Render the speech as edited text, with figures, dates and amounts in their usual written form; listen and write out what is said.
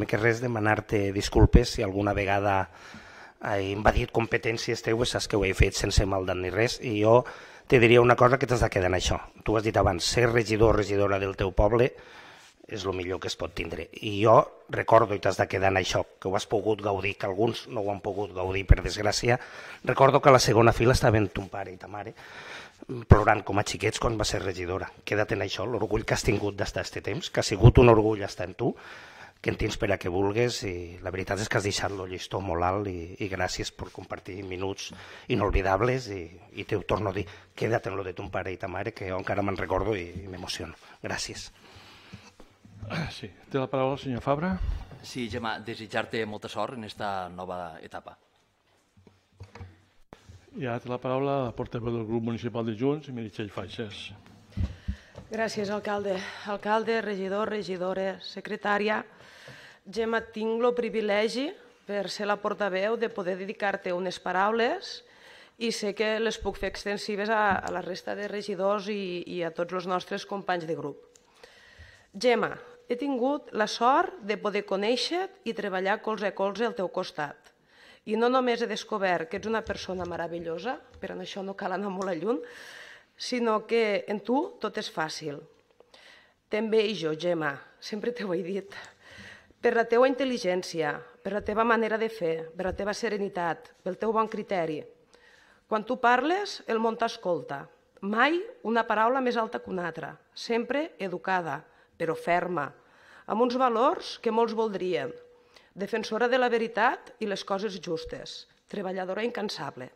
primer que res demanar-te disculpes si alguna vegada he invadit competències teues, saps que ho he fet sense maldat ni res, i jo te diria una cosa que t'has de quedar en això. Tu has dit abans, ser regidor o regidora del teu poble és el millor que es pot tindre. I jo recordo, i t'has de quedar en això, que ho has pogut gaudir, que alguns no ho han pogut gaudir per desgràcia, recordo que a la segona fila estaven ton pare i ta mare plorant com a xiquets quan va ser regidora. Queda't en això, l'orgull que has tingut d'estar aquest temps, que ha sigut un orgull estar en tu, que en tens per a que vulgues, i la veritat és que has deixat el llistó molt alt i gràcies per compartir minuts inolvidables i te ho torno a dir, queda't en lo de ton pare i ta mare, que jo encara me'n recordo i m'emociono. Gràcies. Sí, té la paraula el senyor Fabra. Sí, Gemma, desitjar-te molta sort en esta nova etapa. I ara té la paraula la portaveu del grup municipal de Junts, Meritxell Faixas. Gràcies, alcalde. Alcalde, regidor, regidora, secretària. Gemma, tinc el privilegi, per ser la portaveu, de poder dedicar-te unes paraules i sé que les puc fer extensives a la resta de regidors i a tots els nostres companys de grup. Gemma, he tingut la sort de poder conèixer-te i treballar colze a colze al teu costat. I no només he descobert que ets una persona meravellosa, però en això no cal anar molt lluny, sinó que en tu tot és fàcil. També jo, Gemma, sempre t'ho he dit, per la teua intel·ligència, per la teva manera de fer, per la teva serenitat, pel teu bon criteri. Quan tu parles, el món t'escolta. Mai una paraula més alta que una altra, sempre educada, però ferma, amb uns valors que molts voldrien. Defensora de la veritat i les coses justes, treballadora incansable.